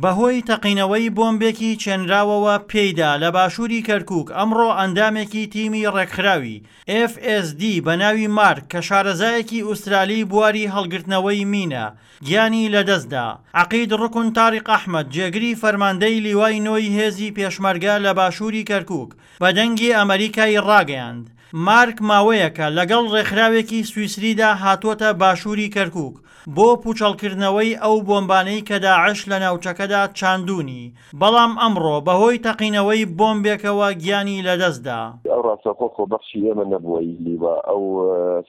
بەهۆی تەقینەوەی بۆمبێکی چێنراوەوە پێیدا لە باشووری کەرکووک، ئەمڕۆ ئەندامێکی تیمی ڕێکخراوی، FSD، بە ناوی مارک کە شارەزایەکی ئوسترالی بواری هەڵگرتنەوەی مینە، گیانی لەدەستدا. عەقید ڕوکن تاریق ئەحمەد، جێگری فەرماندەی لیوای نۆی هێزی پێشمەرگە لە باشووری کەرکووک، بە دەنگی ئەمەریکای ڕاگەیاند، مارک ماوەیەکە لەگەڵ ڕێکخراوێکی سویسریدا هاتووەتە باشووری کەرکووک بۆ پووچەڵکردنەوەی ئەو بۆمبانەی کە داعش لە ناوچەکەدا چاندوونی، بەڵام ئەمڕۆ بەهۆی تەقینەوەی بۆمبێکەوە گیانی لەدەستدا. ئەو ڕاستەوخۆ خۆبەخشی ئێمە نەبووە ی لیوا، ئەو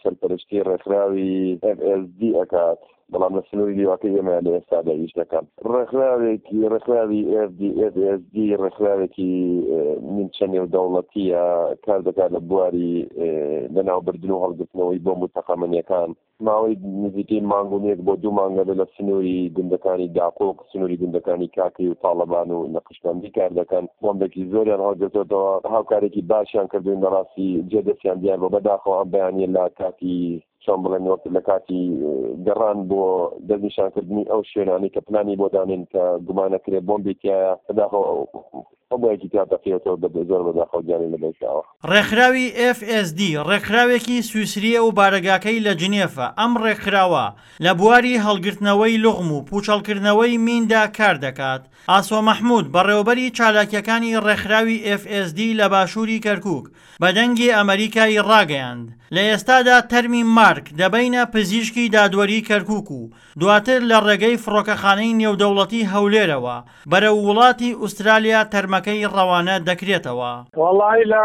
سەرپەرشتی ڕێکخراوی FSD ئەکات. بەڵام لە سنووری لیواکەی ئێمەیا لە ئێستادا ئیش دەکەن. ڕێکخراوێکی ڕێکخراوی FD FSD ڕێکخراوێکی نیمچە نێودەوڵەتییە کار دەکات لە بواری لەناوبردن و هەڵگرتنەوەی بۆمب و تەقەمەنییەکان. ماوەی نزیکەی مانگ و نێک بۆ دوو مانگە لە سنووری گوندەکانی داقوق، سنووری گوندەکانی کاکەی و تاڵەبان و نەقشبەندی کار دەکەن. بۆمبێکی زۆریان هەڵگرتۆتەوە، هاوکارێکی باشیان کردووین بەڕاستی جێ دەستیان دیار بووە. بەداخەوە ئەم بەیانییە لە کاتی چۆن بڵێن وەک لە کاتی گەڕان بۆ دەستنیشانکردنی ئەو شوێنانەی کە پلانی بۆ دانێن کە گومانەکرێ بۆمبی تایە بەداخەوە ئەو بۆیەکی تیا تەقیەتەوە بە زۆر بەداخەوە گیانی لەدەستداوە. ڕێکخراوی FSD ڕێکخراوێکی سویسرییە و بارەگاکەی لە جنێفە، ئەم ڕێکخراوە لە بواری هەڵگرتنەوەی لوغم و پووچەڵکردنەوەی میندا کار دەکات. ئاسۆ مەحمود، بەڕێوەبەری چالاکییەکانی ڕێکخراوی FSD لە باشووری کەرکووک، بە دەنگی ئەمەریکای ڕاگەیاند، لە ئێستادا تەرمی مارک دەبەینە پزیشکی دادوەری کەرکوک و دواتر لە ڕێگەی فڕۆکەخانەی نێودەوڵەتی هەولێرەوە بەرەو وڵاتی ئوسترالیا تەرمەکەی ڕەوانە دەکرێتەوە. وەڵاهی لە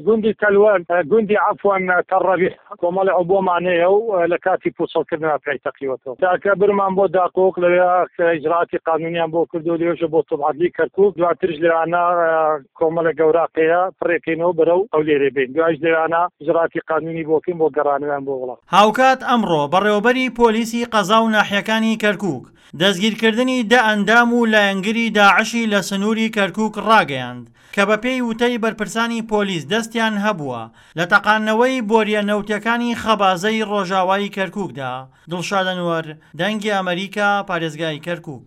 گوندی تەلوەر گوندی عەفوەن تەڕەبیح کۆمەڵی عبوەمان هەیە و لە کاتی پوچەڵکردنا پێی تەقیوەتەوە تاکە برمان بۆ داقوق لەوێ ئیجرائاتی قانونیان بۆ کردو لەوێشە بۆ طب عەدلی کەرکوک دواترش لەوانە کۆمەڵێک گەوراقەیە پڕێکەینەوە بەرەو هەولێرێ بین دوایش لەوانە ئیجرائاتی قانونی بۆ کەین بۆ گەڕانەوەیان بۆ وڵات. هاوکات ئەمڕۆ بەڕێوەبەری پۆلیسی قەزا و ناحیەکانی کەرکوک دەستگیرکردنی دە ئەندام و لایەنگری داعشی لە سنووری کەرکوک ڕاگەیاند کە بەپێی وتەی بەرپرسانی پۆلیس دەستیان هەبووە لە تەقاندنەوەی بۆریە نەوتیەکانی خەبازەی ڕۆژاوای کەرکوکدا. دڵشاد ئەنوەر، دەنگی ئەمەریکا، پارێزگای کەرکوک.